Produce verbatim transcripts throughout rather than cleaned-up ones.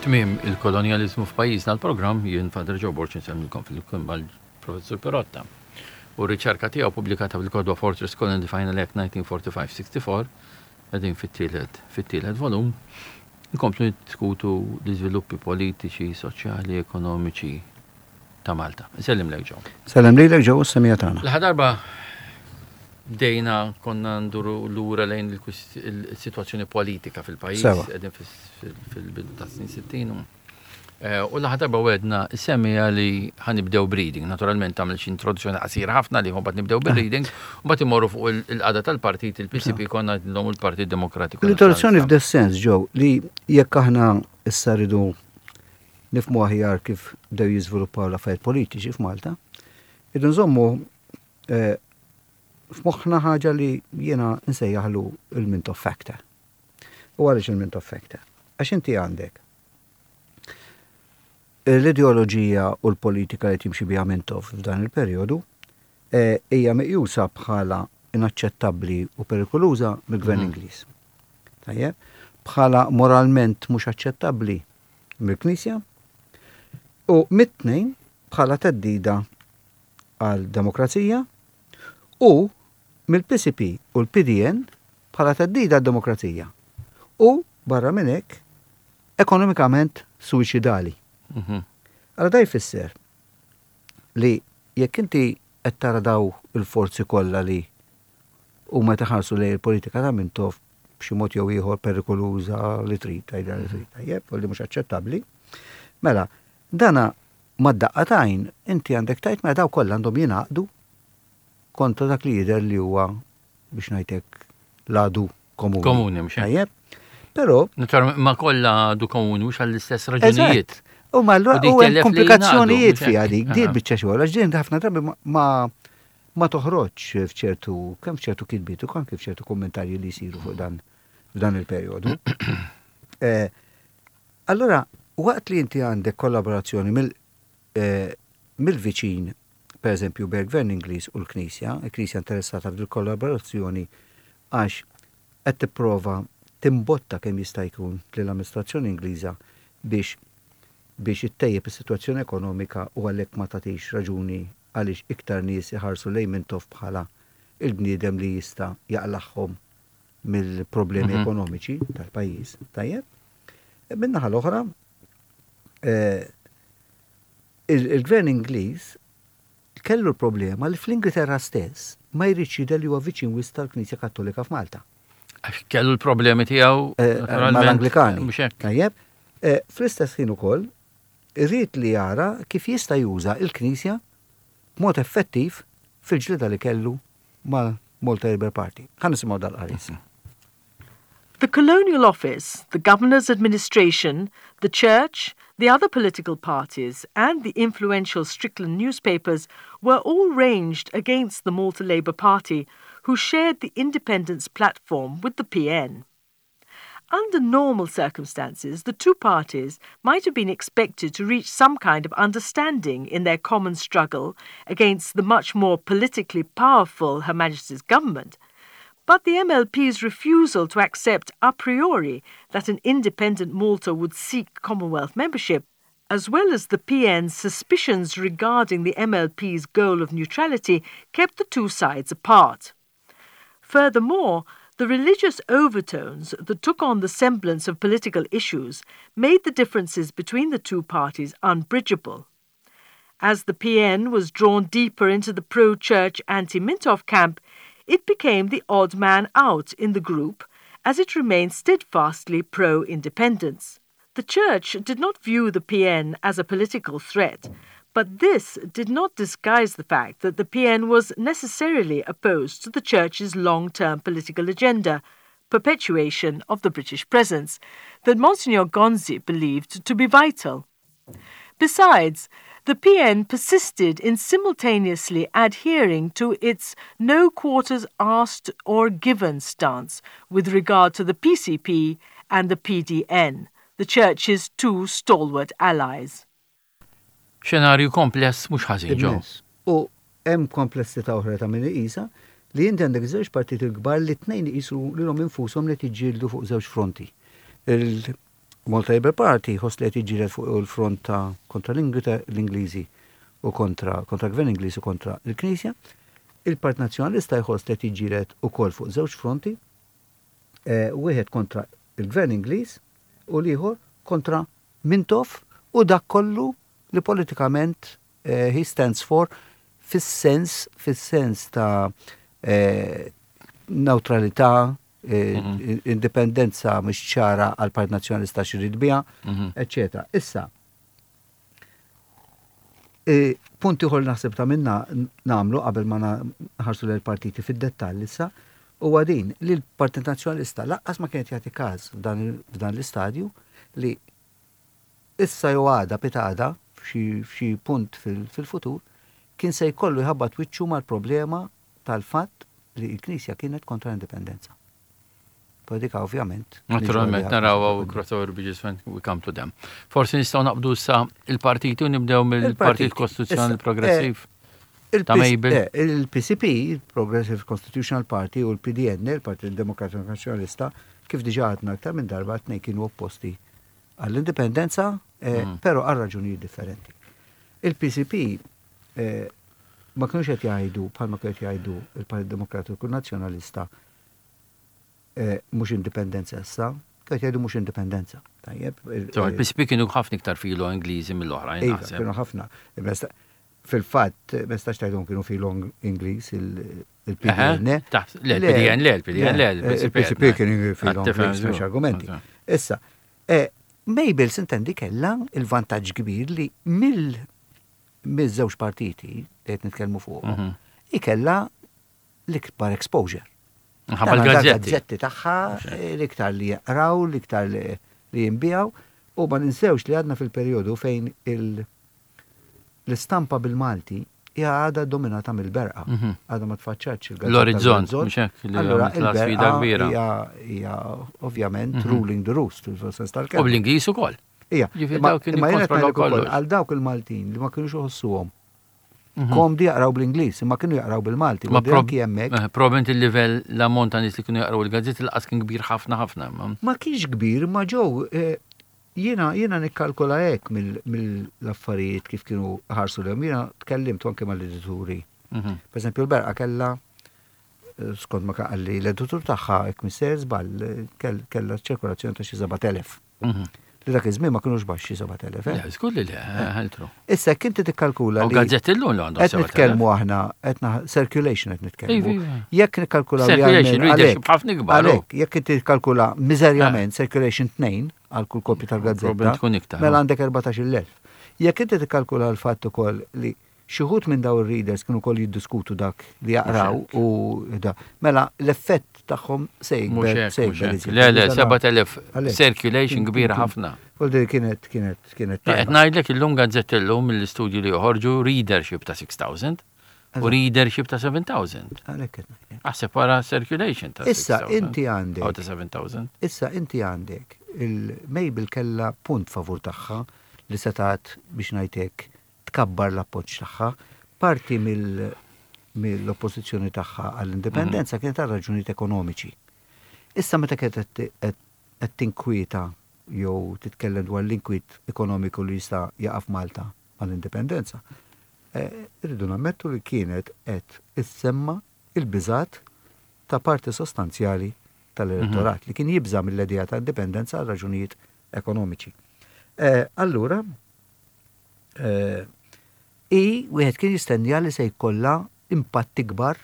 Tmiem il-kolonjalizmu f'pajjiżna l-programm, jien Father Joe Borg insellmilkom flimkien mal-Professur Pirotta. U r-riċerka tiegħu pubblikata fil-kotba Fortress Colony Final Act elf disa' mija u erbgħa u erbgħin sittaħax, qegħdin fit-tielet fit-tielet volum, nkomplu niddiskutu l-iżviluppi politiċi, soċjali, ekonomiċi ta' Malta. Nsellimlek, Joe. Sellem lilek, Joe, s-semmiegħa tagħna. L-aħħar darba bdejna konna nduru lura lejn il-situazzjoni politika fil-pajjiż, Sewa. qegħdin fil-bidu ta' snin sittin. u- Eh, U l-aħħar darba wegħedna s-semmiegħa li ħa nibdew b'reading. Naturalment tagħmel xi introduzzjoni qasira ħafna li mbagħad nibdew bir-reading, u mbagħad imorru fuq il- il-qagħda tal-partit, il-P C P konna l il-Partit Demokratiku. L-introduzzjoni f'des sens, Joe, li jekk aħna issa rridu nifhmu aħjar kif bdew jiżviluppaw l-affarijiet politiċi f'Malta, irridu nżommu eh, f'moħħna ħaġa li jiena nsejjaħlu il-Mintoff Factor. U għaliex il-Mintoff Factor? Għax inti għandek l-ideoloġija u l-politika li timxi biha Mintoff f'dan il-perjodu eh, hija meqjusa bħala inaċċettabbli u perikoluża mill-gvern Ingliż. Tajjeb, bħala moralment mhux aċċettabbli mill-Knisja u mit-tnejn bħala theddida għal demokrazija u mill-P C P u l-P D N bħala theddida għal demokrazija. U barra minn hekk ekonomikament suwiċidali. Mhm. Allora da jfisser li jekk inti qed tara daw il-forzi kollha li huma taħarsu lejn il-politika ta' Mintoff b'xi mod jew ieħor perikoluża li trid tgħidha li trid tajjeb u li mhux aċċettabbli. Mela, dana mad-daqqa t'għajn inti għandek tgħid mela daw kollha għandhom jingħaqdu kontra dak li jidher li huwa, biex ngħidlek, l-għadu komuni. Komuni, mhux hekk? Tajjeb. Però Naturalment ma kollha għadu komuni mhux għall-istess raġunijiet. Eżatt. U ma allura U dik u hemm tellef li komplikazzjonijiet jingħaqdu, fiha mhux dik, hekk? din Aha. biċċa xogħol, għax din ħafna drabi ma- ma ma toħroġ f'ċertu kemm f'ċertu kitbiet u anke f'ċertu kummentarji li jsiru fuq dan f'dan il-perjodu. Eh, Allora, waqt li inti għandek kollaborazzjoni mill eh, mill-viċin, per eżempju, bejn gvern Ingliż u l-Knisja, il-Knisja interessata fil-kollaborazzjoni għax qed tipprova timbotta kemm jista' jkun lill-amministrazzjoni Ingliża biex biex ittejjeb is-sitwazzjoni ekonomika u għalhekk ma tagħtix raġuni għaliex iktar nies iħarsu lejn Mintoff bħala il-bniedem li jista' jaqlagħhom mill-problemi Mhm. ekonomiċi tal-pajjiż. Tajjeb? Min-naħa l-oħra, eh, il- il-gvern Ingliż kellu l-problema li fl-Ingilterra stess ma jridx jidher li huwa viċin wisq tal-Knisja Kattolika f'Malta. Għax kellu l-problemi tiegħu Eh, naturalment, mal-Anglikani. Mhux hekk. Tajjeb, eh, fl-istess ħin ukoll irrid li jara kif jista' juża il-Knisja b'mod effettiv fil-ġlida li kellu mal-Malta Labour Party. Ħa nisimgħu dal-qaris. The Colonial Office, the Governor's administration, the Church, the other political parties, and the influential Strickland newspapers were all ranged against the Malta Labour Party, who shared the independence platform with the P N. Under normal circumstances, the two parties might have been expected to reach some kind of understanding in their common struggle against the much more politically powerful Her Majesty's government. But the M L P's refusal to accept a priori that an independent Malta would seek Commonwealth membership, as well as the P N's suspicions regarding the M L P's goal of neutrality, kept the two sides apart. Furthermore, the religious overtones that took on the semblance of political issues made the differences between the two parties unbridgeable. As the P N was drawn deeper into the pro church anti Mintoff camp, it became the odd man out in the group as it remained steadfastly pro independence. The church did not view the P N as a political threat, but this did not disguise the fact that the P N was necessarily opposed to the church's long term political agenda, perpetuation of the British presence, that Monsignor Gonzi believed to be vital. Besides, the P N persisted in simultaneously adhering to its no quarters asked or given stance with regard to the P C P and the P D N, the Church's two stalwart allies. Xenarju kompless mhux ħażin, Joe. Immens. U hemm komplessità oħra ta' min iqisha li inti għandek żewġ partiti l-kbar li tnejn iqisu lilhom infushom li tiġġieldu fuq żewġ fronti. Malta Labour Party jħoss li qed jiġġieled fuq il-front ta' kontra l-Ingliżi u kontra kontra gvern Ingliż u kontra l-Knisja. Il-Partit Nazzjonalista jħoss li qed jiġġieled ukoll fuq żewġ fronti, eh, wieħed kontra il-gvern Ingliż u l-ieħor kontra Mintoff u dak kollu li politikament eh, he stands for fis-sens fis-sens ta' eh, neutralità, eh, mhm. indipendenza mhux ċara għal Partit Nazzjonalista x'irid biha, mhm. eċetera. Issa, e, punti ieħor naħseb ta' minna nagħmlu qabel ma nħarsu l-partiti fid-dettall issa, huwa din li l-Partit Nazzjonalista lanqas ma kienet jagħti każ f'dan l-istadju li issa jew għada pitgħada f'xi punt fil-futur kien se jkollu jħabbat wiċċu mal-problema tal-fatt li l-Knisja kienet kontra l-indipendenza. Politika ovvjament. Naturalment, naraw crossover bridges when we come to them. Forsi nistgħu naqbdu sa il-partiti u nibdew mill-Partit Kostituzzjonali Progressiv. Eh, ta' Mabel. Eh, Il-P C P, il-Progressive Constitutional Party, u l-P D N, il-Partit Demokratiku Nazzjonalista, kif diġa għadna aktar minn darba, tnejn kienu opposti għall-indipendenza, eh, mm. però għal raġunijiet differenti. Il-P C P ma kienux qed jgħidu bħalma kienu qed jgħidu il-Partit Demokratiku Nazzjonalista eh, mhux indipendenza issa, kienu jgħidu mhux indipendenza. Tajjeb. Il-P C P kienu ħafna iktar filo Ingliżi mill-oħrajn. Iva, kienu ħafna. Fil-fatt, ma tistax tgħidhom kienu filo Ingliż il-P D N. Le, il-P D N le, il-P D N le. Il-P C P kienu filo Ingliż, mhux argumenti. Issa, eh, Mabel s'intendi kella il-vantaġġ kbir li mill miż-żewġ partiti li qed nitkellmu fuq, mhm. ikella l-ikbar exposure. Ħabba l-gazzetti. Gazzetti tagħha l-iktar li jaqraw, l-iktar li jinbiegħu, u ma ninsewx li għadna fil-perjodu fejn l-istampa bil-Malti hija għadha dominata mill-Berqa. Mhm. Għadha ma tfaċċatx il-gazzetta. L-Orizzont, mhux hekk, li Allura il-Berqa hija hija ovvjament mhm. ruling the roost fil-sens tal-kelma. U bl-Ingliż ukoll. Ija, imma jiena ukoll għal dawk il-Maltin li ma kienux iħossuhom mhm. komdi jaqraw bl-Ingliż, imma kienu jaqraw bil-Malti. Ma hemmhekk. Eh, probabbilment il-livell, l-ammont ta' nies li kienu jaqraw il-gazzetti lanqas kien kbir ħafna ħafna. Ma kienx kbir, ma ġew eh, jiena jiena nikkalkola hekk mill-affarijiet kif kienu ħarsu l Jiena tkellimt anke mal-edituri. Mhm. Per eżempju, l-Berqa kella, eh, skont ma qalli l-editur tagħha, jekk m'iniex żball, kella ċirkolazzjoni ta' xi sebat elef. Mhm. Li dak iż-żmien ma kinux baxxi sebat elef. Eh? Le, żgur li le, ħeltru. Issa jekk inti tikkalkula li. Gazzetti llum li għandhom. Qed nitkellmu aħna, qed circulation qed nitkellmu. Jekk nikkalkula Circulation, readership ħafna ikbar. Għalhekk, jekk inti tikkalkula miżerjament circulation tnejn għal kull kopja tal-gazzetta, mela għandek erbatax-il elf. Jekk inti tikkalkula l-fatt ukoll li xi wħud minn daw ir-readers kienu koll jiddiskutu dak li jaqraw u da. Mela l-effett tagħhom se jikber. Se jikber. Le, le, sebat elef circulation kbira ħafna. U kienet, kienet, kienet. Qed ngħidlek illum gazzetta illum mill-istudju li joħorġu readership ta' sitt elef u readership ta' seba' elef. Għalhekk. Aħseb wara circulation ta' Issa inti għandek. Ta' seba' elef. Issa inti għandek il-Mabel kella punt favur tagħha li setat biex ngħidlek tkabbar l-appoġġ tagħha. Parti mill-oppożizzjoni tagħha għall-indipendenza mhm. kienet għal raġunijiet ekonomiċi. Issa meta kienet qed tinkwieta jew titkellem dwar l-inkwiet ekonomiku li jista' jaqa' f'Malta għall-indipendenza, eh, irridu nammettu li kienet qed issemma il-biżat ta' parti sostanzjali tal-elettorat li kien jibża mill-idea ta' indipendenza għal raġunijiet ekonomiċi. Eh, allura, eh, i wieħed kien jistennija li se jkollha impatt ikbar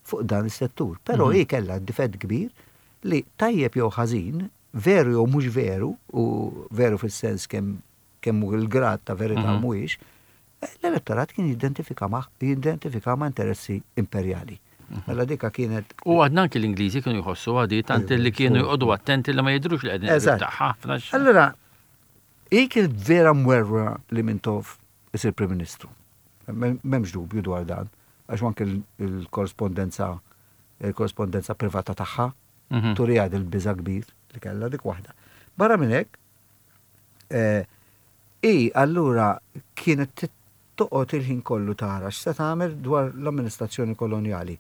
fuq dan is-settur. Però hi kellha difett kbir li tajjeb jew ħażin, veru jew mhux veru, u veru fis-sens kemm kemm hu il-grad ta' verità mhuwiex, l-elettorat kien jidentifika ma' jidentifika ma' interessi imperjali. Mela dika kienet U għadna anki l-Ingliżi kienu jħossu għadi tant li kienu jqogħdu attenti li ma jidrux li qegħdin Eżatt. ħafna. Allora, hi kienet vera mwerwra li Mintoff isir Prim Ministru. M'hemmx dubju dwar dan, għax anke il-korrespondenza il-korrespondenza privata tagħha Mhm. turi għad il-biża kbir li kellha dik waħda. Barra minn hekk, eh, i allura kienet toqgħod il-ħin kollu tara x'se tagħmel dwar l-amministrazzjoni kolonjali.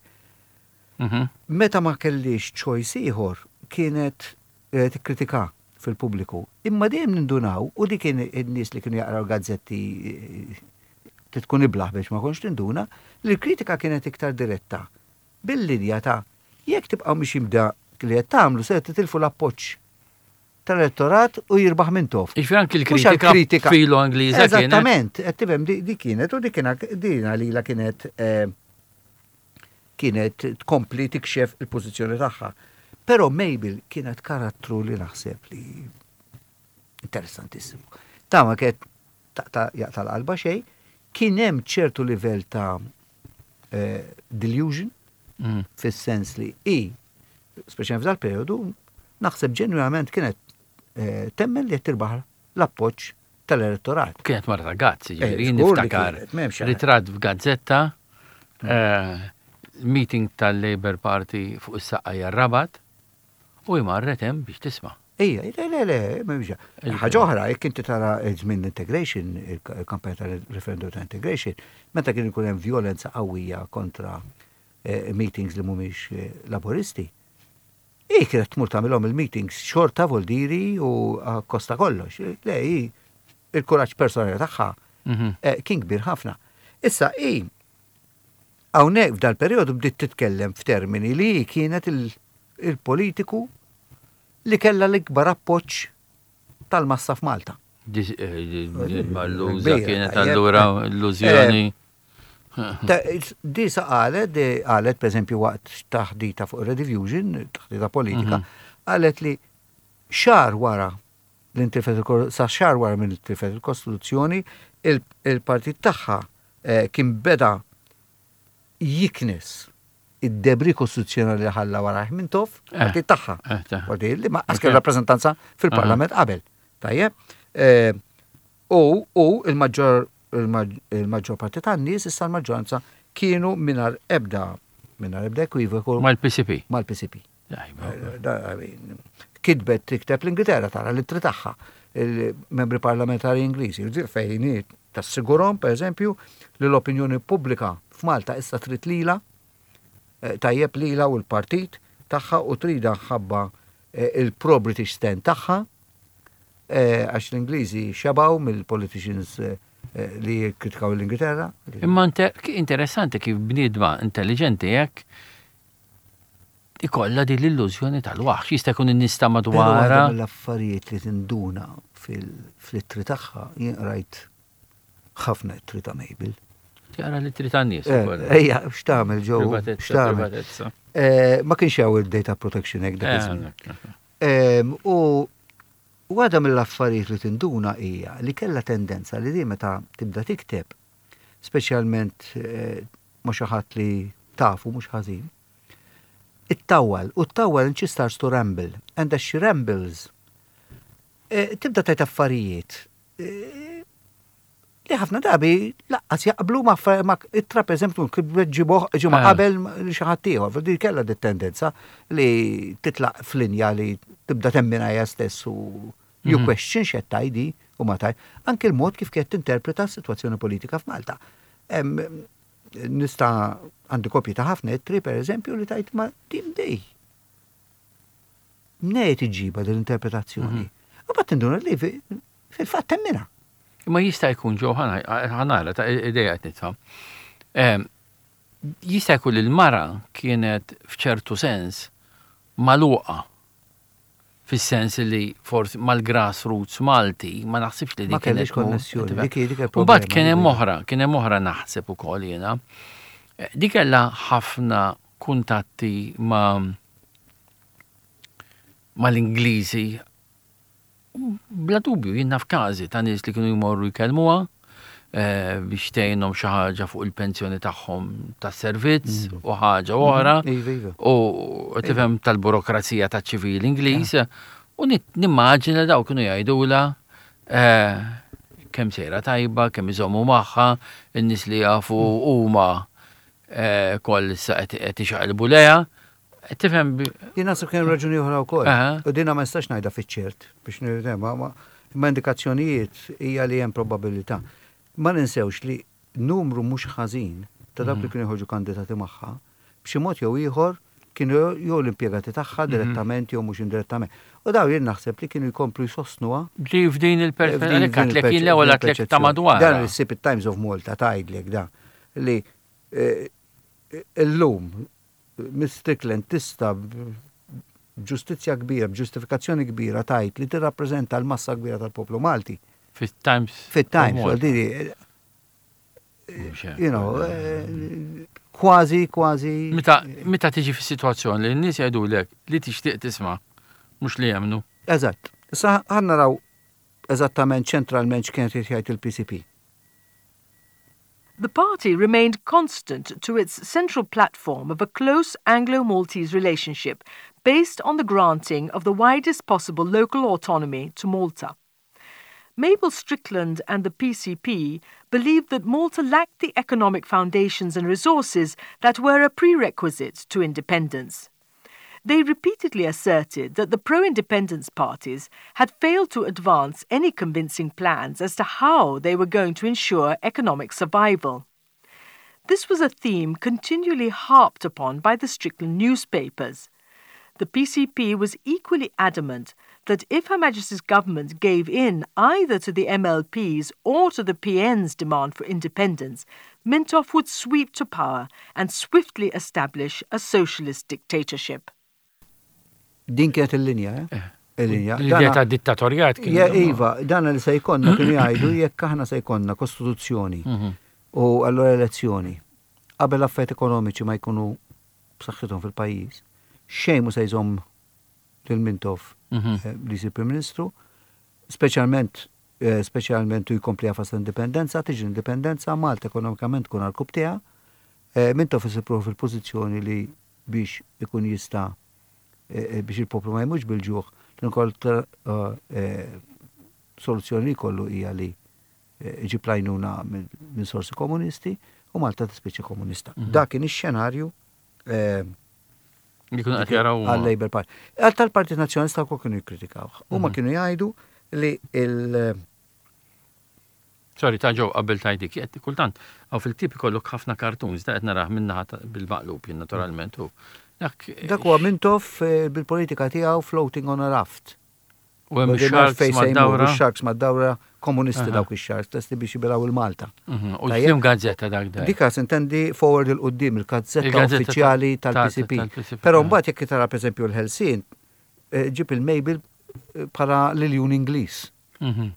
Mhm. Meta ma kellix choice ieħor kienet eh, tikkritika fil-pubbliku. Imma dejjem nindunaw, u dik kien in-nies li kienu jaqraw gazzetti, eh, tkun iblaħ biex ma konx tinduna, li l-kritika kienet iktar diretta. Bil-linja ta' jekk tibqgħu mixjin b'dak li qed tagħmlu, se titilfu l-appoġġ tal-elettorat u jirbaħ Mintoff. Jiġifieri anki Mhux l-kritika filo Angliża kienet. Eżattament, qed tifhem, di di kienet u di kienet din għalila kienet eh, kienet tkompli tikxef il-pożizzjoni tagħha. Però Mabel kienet karattru li naħseb li interessantissimu. Ta' ma kienet taqta' jaqta' l-qalba xejn, kien hemm ċertu livell ta' eh, delusion Mm. fis-sens li i, speċjalment f'dal periodu, naħseb ġenwinament kienet eh, temmen li qed tirbaħ l-appoġġ tal-elettorat. Kienet mara ta' guts, jiġifieri, Eh, żgur li niftakar kienet, m'hemmx għal- ritratt f'gazzetta, eh, meeting tal-Labour Party fuq is-Saqqajja Rabat, u marret hemm biex tisma'. Ija, le, le, le, m'hemmx. Ħaġa oħra, jekk inti tara żmien integration, il-kampanja tal-referendum ta' integration, meta kien ikun hemm violenza qawwija kontra eh, meetings li mhumiex eh, laboristi, i kienet tmur tagħmilhom il-meetings xorta, voldiri u kosta kollox. Le, hi il-kuraġġ personali tagħha Mhm. eh, kien kbir ħafna. Issa, i hawnhekk f'dal periodu bdiet titkellem f'termini li hi kienet il- il-politiku li kella l-ikbar appoġġ tal-massa f'Malta. Dis- eh, Malluża Kbira, kienet tajjeb. allura illużjoni. Ta' Di sa qalet, di qalet per eżempju waqt taħdita fuq Rediffusion, taħdita politika, qalet li xahar wara l-intilfet il- sa xahar wara minn intilfet il-Kostituzzjoni, il- il-partit tagħha eh, kien beda jiknes id-debris kostituzzjonali li ħalla wara Mintoff, Eh, partit tagħha. eh, ta' Partit li ma Ok. kellu rappreżentanza fil-Parlament qabel. Tajjeb. Eh, U u il-maġġor il-maġġor parti tan-nies, issa l-maġġoranza, kienu mingħajr ebda mingħajr ebda ekwivoku Mal-P C P. mal-P C P. Tajba. Da- I mean, kitbet tikteb l-Ingilterra, tara l-ittri tagħha, il-membri parlamentari Ingliżi, fejn tassigurom, per eżempju, li l-opinjoni pubblika f'Malta issa trid lila, eh, tajjeb, lila u l-partit tagħha, u trida ħabba eh, il-pro-British stand tagħha, eh, għax l-Ingliżi xebaw mill-politicians eh, eh, li kritikaw l-Ingilterra. Imma inter- interessanti kif bniedma intelligenti jekk ikolla din l-illużjoni tal-waħx. Jista' jkun in-nies ta' Però madwara. waħda mill-affarijiet li tinduna fil-ittri tagħha, jien rajt ħafna ittri ta' Mabel. Tara l-ittri tan-nies Eh, ukoll. Ejja, x'tagħmel ġew? Privatezza, X'tagħmel? privatezza. Eh, Ma kienx hawn il-Data Protection Act dak Eh, iż-żmien. Em, U waħda mill-affarijiet li tinduna hija li kellha tendenza li di meta tibda tikteb, speċjalment eh, ma xi ħadd li tafu mhux ħażin, ittawwal, u ttawwal and she starts to ramble, and as she rambles, eh, tibda tajt affarijiet eh, li ħafna drabi lanqas jaqblu ma' ma' ittra, per eżempju, ġibuh ġimgħa Eh. qabel li xi ħadd ieħor. Di kellha di tendenza li titlaq f'linja li tibda temmina hija stess u you Mhm. question x'qed tgħidi u ma taj. Anke l-mod kif kienet tinterpreta s-sitwazzjoni politika f'Malta. Em, Nista' għandi kopji ta' ħafna ittri, per eżempju, li tajt ma din dej. Mnejn iġġibha din l-interpretazzjoni? U mbagħad tinduna li fi- fil-fatt temmina. Imma jista' jkun ġo, ħa nara ta' ideja qed nitfa'. Em, Jista' jkun li l-mara kienet f'ċertu sens magħluqa, fis-sens li forsi mal-grassroots Malti ma naħsibx li Ma dik kienet kellix konnessjoni, dik dik U mbagħad il-problema, kien hemm dik. oħra, kien hemm oħra naħseb ukoll jiena. Eh, Di kellha ħafna kuntatti ma' mal-Ingliżi. Bla dubju, jien naf każi ta' nies li kienu jmorru jkellmuha eh, biex tgħinhom xi ħaġa fuq il-pensjoni tagħhom tas-servizz u ħaġa oħra Iva, iva. u tifhem tal-burokrazija taċ-ċivil Ingliż u nit- nimmaġina daw kienu jgħidula eh, kemm sejra tajba, kemm iżommu magħha, in-nies li jafu huma eh, koll issa qed qed ixaqilbu lejha. Tifhem bi- Jien naħseb kien raġuni oħra wkoll. Aha. U dina ma nistax ngħidha fiċ-ċert biex nirtem, ma ma ma indikazzjonijiet hija li hemm probabilità. Ma ninsewx li numru mhux ħażin ta' dawk li kienu jħorġu kandidati magħha, b'xi mod jew ieħor Kienu jew l-impjegati tagħha direttament jew mhux indirettament. U daw jien naħseb li kienu jkomplu jsostnuha. Li f'din il-perspettiva, kien l-ewwel għatlek ta' madwar. Dan issib it-Times of Malta tgħidlek da li eh, illum Miss Strickland tista' b'ġustizzja kbira, b'ġustifikazzjoni kbira tgħid li tirrappreżenta l-massa kbira tal-poplu Malti. Fit-Times. Fit-Times, għaldiri, you know, eh, kważi, kważi. Meta meta tiġi fi situazzjoni li n-nies jgħidulek li tixtieq tisma' mhux li jemmnu. Eżatt. Issa ħa naraw eżattament ċentralment x'kien qed jgħid il-P C P. The party remained constant to its central platform of a close Anglo Maltese relationship based on the granting of the widest possible local autonomy to Malta. Mabel Strickland and the P C P believed that Malta lacked the economic foundations and resources that were a prerequisite to independence. They repeatedly asserted that the pro independence parties had failed to advance any convincing plans as to how they were going to ensure economic survival. This was a theme continually harped upon by the Strickland newspapers. The P C P was equally adamant that if Her Majesty's government gave in either to the M L P's or to the P N's demand for independence, Mintoff would sweep to power and swiftly establish a socialist dictatorship. Din kienet il-linja, eh? Il-linja. L-idea ta' dittatorjat kien. Ja, iva, dan li se jkollna kienu jgħidu jekk aħna se jkollna kostituzzjoni Mhm. u allura elezzjoni qabel affarijiet ekonomiċi ma jkunu b'saħħithom fil-pajjiż, xejn mhu se jżomm lil Mintoff Mhm. eh, li jsir Prim Ministru, speċjalment eh, speċjalment u jkompli jagħfas l-indipendenza, tiġi l-indipendenza, Malta ekonomikament tkun għal eh, Mintoff isib ruħu fil-pożizzjoni li biex ikun jista' eh, eh, biex il-poplu ma jmutx bil-ġuħ, l-unika soluzzjoni li jkollu hija li eh, iġib l-għajnuna minn minn sorsi komunisti u Malta tispiċċa komunista. Dak kien ix-xenarju eh, Li kienu qed jaraw. għal-Labour Party. Għal tal-Partit Nazzjonalista wkoll kienu jikkritikaw. Huma kienu jgħidu li il- Sorry, ta' ġew qabel tajdik, qed kultant għaw fil-tip ikollok ħafna cartoons, da qed narah minnaħa ta' bil-maqlub jien naturalment u dak. Dak huwa Mintoff eh, bil-politika tiegħu floating on a raft. U hemm sharks mad-dawra. Sharks mad-dawra komunisti Aha. dawk ix-sharks, lesti biex jibilgħu il-Malta. Mhm, U Tajjeb. x'lim gazzetta dak dak? Dika sintendi Forward 'il Quddiem, il-gazzetta Il-gazzetta uffiċjali ta- tal-P C P. tal-P C P, Però eh. mbagħad jekk tara pereżempju l-Ħelsien, eh, ġib il-Mabel eh, bħala l-Iljun Ingliż, Mhm.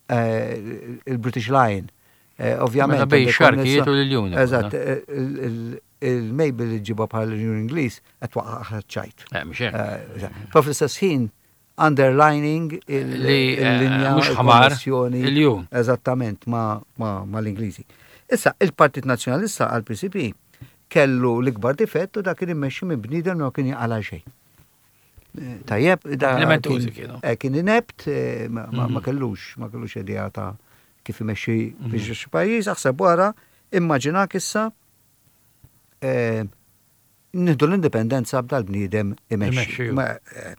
eh, il-British Lion. Eh, Ovvjament. Mela bej għandek xarkijiet konnessa- u l-iljuni. Eżatt, eh, il- il- il-Mabel li ġibha bħala l-Iljun Ingliż qed twaqqaħ ċajt. Eh, mhux hekk. Eh, Però fl-istess ħin underlining il- Li, eh, il-linja mhux ħamar, il-konnessjoni. iljun. Eżattament ma, ma, ma l-Ingliżi. Issa, il-Partit Nazzjonalista għal P C P kellu l-ikbar difett u dak kien immexxi minn bniedem li ma kien jaqala xejn. Eh, Tajjeb, da Komplimentużi kien- kienu. eh, Kien inept, eh, ma, ma, ma Mhm. kellux, ma kellux idea ta' kif imexxi biex xi pajjiż, aħseb wara, immaġinak issa eh, nieħdu l-indipendenza b'dal bniedem imexxi. Imexxi, ju. Ma, eh,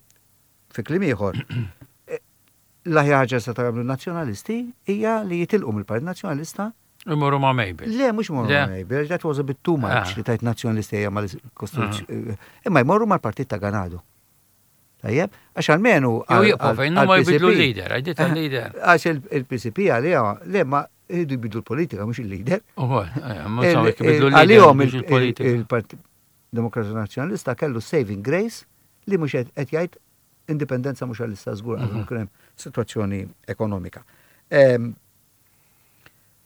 fi kliem ieħor, eh, l-aħjar ħaġa se tagħmlu nazzjonalisti hija li jitilqu mill-Partit Nazzjonalista. Imorru ma' Mabel. Le, mhux imorru Le. ma' Mabel, that was a bit too much Ah. li tajt nazzjonalisti hija mal-Kostituzzjoni. Imma jmorru mal-Partit ta' Ganado. Tajjeb, għax almenu Jew jibqgħu fejn huma għal-P C P jbidlu l-leader, għidiet l-leader. Għax il-P C P għalija, le ma jridu jbidlu l-politika, mhux il-leader. Ukoll, eh, ma saw jekk jbidlu l-leader. Għalihom mhux il-politika. il-Partit Demokratiku Nazzjonalista kellu saving grace li mhux qed jgħid indipendenza mhux għal-issa żgur għal Mhm. kien hemm sitwazzjoni ekonomika. Em,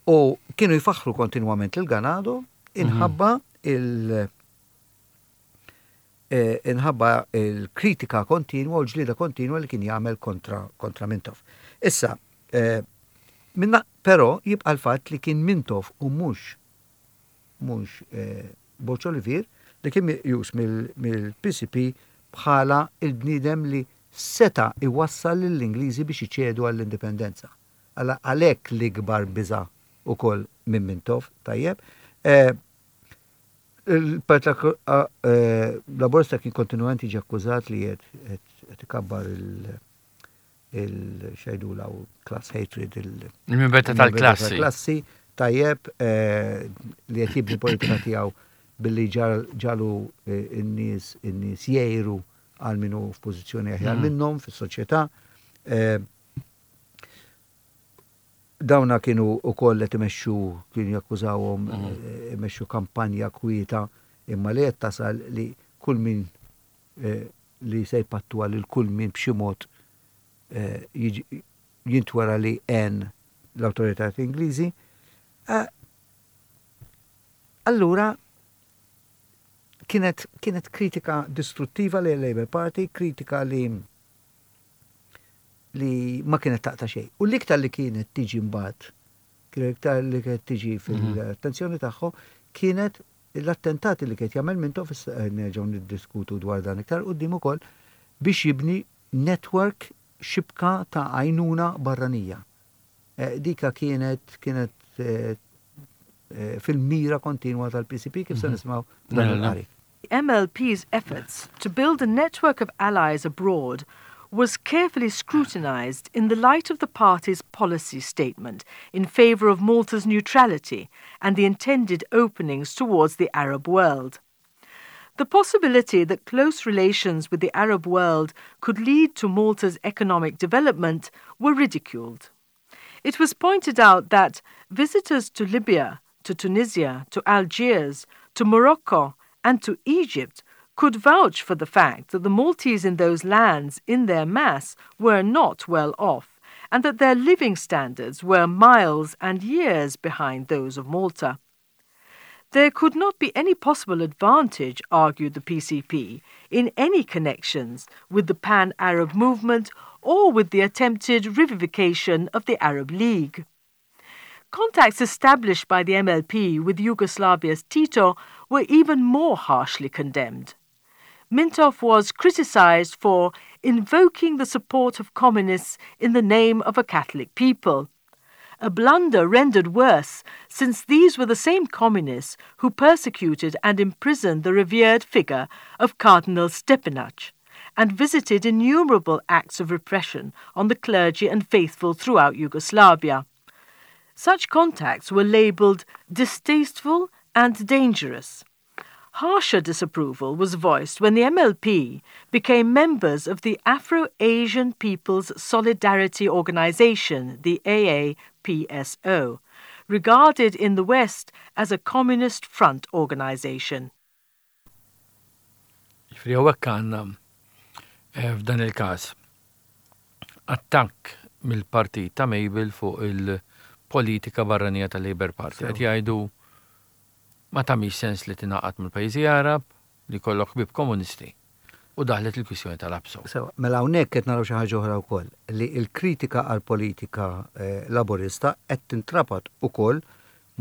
U kienu jfaħru kontinwament il-Ganado inħabba il- eh, inħabba il-kritika kontinwa u l-ġlida kontinwa li kien jagħmel kontra, kontra Mintoff. Issa, eh, minna, però jibqa l-fatt li kien Mintoff u mhux mhux eh, Borg Olivier li kien meqjus mill-P C P bħala il-bniedem li seta iwassal lill-Ingliżi biex iċedu għall-indipendenza. Għala- Għalhekk l-ikbar biża ukoll minn Mintoff, tajjeb. Eh, Il-Partit eh, Laburista kien kontinuament jiġi akkużat li qed qed ikabbar il- il xajdu law class hatred, il- Il-mibegħda tal-klassi. Klassi, tajjeb, eh, li qed jibni politika tiegħu billi ġagħlu eh, n-nies in-nies jgħiru għal min hu f'pożizzjoni aħjar Mm. minnhom fis-soċjetà. Eh, Dawna kienu ukoll qed imexxu, kienu jakkużawhom Mhm. eh, imexxu kampanja kwieta, imma li qed tasal li kull min eh, li se jpattu għal kull min b'xi mod eh, jiġi- jintwera li għen l-awtoritajiet Ingliżi. Eh, Allura kienet, kienet kritika distruttiva li Labour Party, kritika li li ma kienet taqta xejn. U l-iktar li kienet tiġi mbagħad, kienet iktar li kienet tiġi fil-attenzjoni tagħhom, kienet l-attentati li kienet jagħmel Mintoff, issa nerġgħu niddiskutu dwar dan iktar quddiem ukoll, biex jibni network, xibka ta' għajnuna barranija. Eh, Dika kienet kienet eh, eh, fil-mira kontinwa tal-P C P, kif se nisimgħu f'dan Mela, il-qari. The M L P's efforts to build a network of allies abroad was carefully scrutinized in the light of the party's policy statement in favor of Malta's neutrality and the intended openings towards the Arab world. The possibility that close relations with the Arab world could lead to Malta's economic development were ridiculed. It was pointed out that visitors to Libya, to Tunisia, to Algiers, to Morocco, and to Egypt could vouch for the fact that the Maltese in those lands in their mass were not well off and that their living standards were miles and years behind those of Malta. There could not be any possible advantage, argued the P C P, in any connections with the Pan Arab movement or with the attempted revivification of the Arab League. Contacts established by the M L P with Yugoslavia's Tito were even more harshly condemned. Mintoff was criticized for invoking the support of communists in the name of a Catholic people, a blunder rendered worse since these were the same communists who persecuted and imprisoned the revered figure of Cardinal Stepinac and visited innumerable acts of repression on the clergy and faithful throughout Yugoslavia. Such contacts were labelled distasteful and dangerous. Harsher disapproval was voiced when the M L P became members of the Afro-Asian People's Solidarity Organization, the A A P S O, regarded in the West as a communist front organization. Ġifieri hawnhekk għandna eh, f'dan il-każ attakk mill-partit ta' Mabel fuq il-politika barranija tal-Labour Party. Qed jgħidu ma tagħmilx sens li tingħaqad mill-pajjiżi Arab, li kollok ħbieb komunisti. U daħlet il-kwistjoni tal-APSO. Sewa, mela hawnhekk qed naraw xi ħaġa oħra wkoll, li l-kritika għal politika eh, laborista qed tintrabat ukoll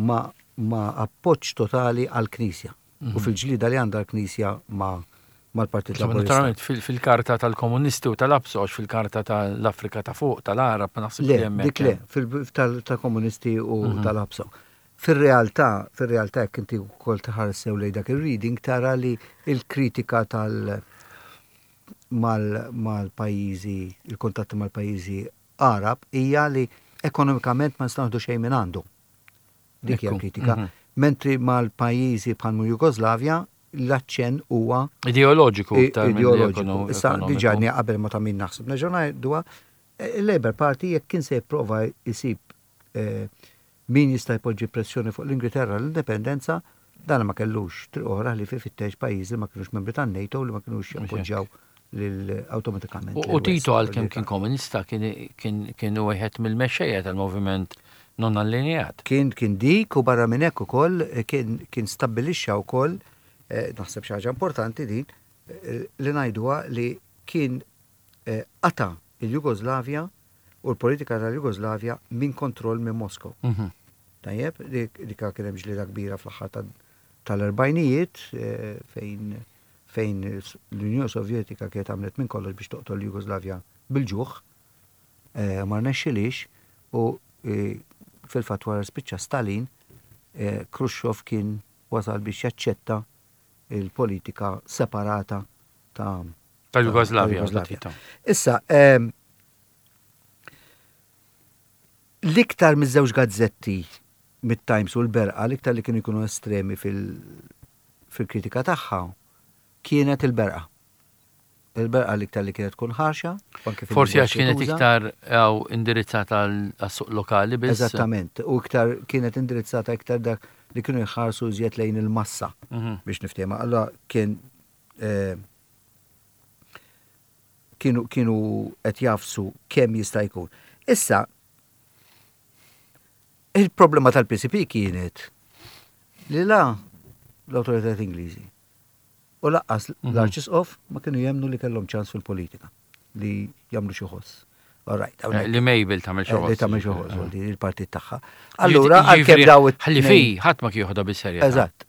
ma, ma appoġġ totali għal Knisja u fil-ġlida li għandha l-Knisja ma mal-Partit Insomma, Laborista. naturalment fil- fil-karta tal-komunisti u tal-APSO, għax fil-karta tal-Afrika ta' fuq, tal-Arab, ma naħseb Le, li hemmhekk dik le, hemm. fil- tal- tal-komunisti u tal-APSO. Fil-realtà, fil-realtà jekk inti wkoll tħares sew lejn dak il-reading, tara li il-kritika tal mal- mal-pajjiżi, il-kontatti mal-pajjiżi Arab hija li ekonomikament ma nistgħu xejn minn għandu. Dik hija Ekku, kritika. mhm. Mentri mal-pajjiżi bħal Jugoslavja l-aċċenn huwa Ideoloġiku i- iktar milli ideoloġiku. ekono- Issa ekonomiku. diġà qabel ma ta' min naħseb. Nerġgħu ngħiduha, il-Labour Party jekk kien se jipprova jsib eh, min jista' jpoġġi pressjoni fuq l-Ingilterra l-indipendenza, dan ma kellux triq oħra li fi fittex pajjiżi li ma kienux membri tan-NATO, li ma kienux jappoġġjaw lil awtomatikament. U u Tito, għalkemm kien komunista, kien kien kien wieħed mill-mexxejja tal-moviment non allineat. Kien kien dik u barra minn hekk ukoll eh, kien kien stabbilixxa wkoll, eh, naħseb xi ħaġa importanti din eh, li ngħiduha, li kien eh, qata il-Jugoslavja u l-politika tal-Jugoslavja minn kontroll minn Moskow. Mhm. Tajjeb, dik dika kien hemm ġlieda kbira fl-aħħar tal- tal-erbgħinijiet eh, fejn fejn l-Unjoni Sovjetika kienet għamlet minn kollox biex toqtol l-Jugoslavja bil-ġuħ, eh, ma rnexxilix u eh, fil-fatt wara spiċċa Stalin, eh, Khrushchev kien wasal biex jaċċetta il-politika separata ta' Tal-Jugoslavja. tal-Jugoslavja. Tito. Issa, ehm, l-iktar miż-żewġ gazzetti, mit-Times u l-Berqa, l-iktar li kienu jkunu estremi fil- fil-kritika tagħha kienet il-Berqa. Il-Berqa l-iktar li kienet tkun ħarxa. U anke Forsi għax fil-lingwaġġ li kienet tuża. iktar għaw indirizzata għas-suq lokali biss. Eżattament, u iktar kienet indirizzata iktar dak li kienu jħarsu iżjed lejn il-massa Mhm. biex niftehma. Allora kien eh, kienu kienu qed jafsu kemm jista' jkun. Issa il-problema tal-P C P kienet li la l-awtoritajiet Ingliżi u lanqas Mhm. l-Arċisqof ma kienu jemnu li kellhom ċans fil-politika li jagħmlu xi ħoss. All right, Eh, Li Mabel tagħmel xi Eh, li ħoss. tagħmel xi ħoss, li il-partit tagħha. Ġifieri, Allura għalkemm daw it- Ħalli fi, ħadd ma kien joħodha bis-serjetà. Eżatt.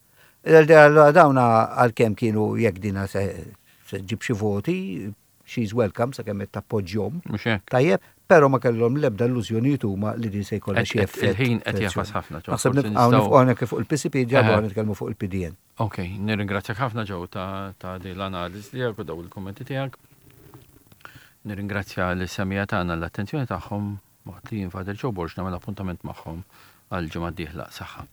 Allura dawna għalkemm kienu jekk dina se se ġib xi voti, she's welcome sakemm qed tappoġġjhom. Mhux hekk. Tajjeb, però ma kellhom l-ebda illużjonijiet huma li din se jkollha Qed- xi qed- effett. il-ħin qed jafas ħafna, Joe. Naħseb Forsi nibqgħu nistgħu- nifqgħu hawnhekk fuq il-P C P ġabu Eħe. nitkellmu fuq il-P D N. Ok, nirringrazzjak ħafna, Joe, ta' ta' din l-analiżi tiegħek u daw il-kommenti tiegħek. Nirringrazzja lis-semmiegħa tagħna l-attenzjoni tagħhom waqt li jien, Father Joe Borg, nagħmel appuntament magħhom għal ġimgħa d-dieħla. Saħħa.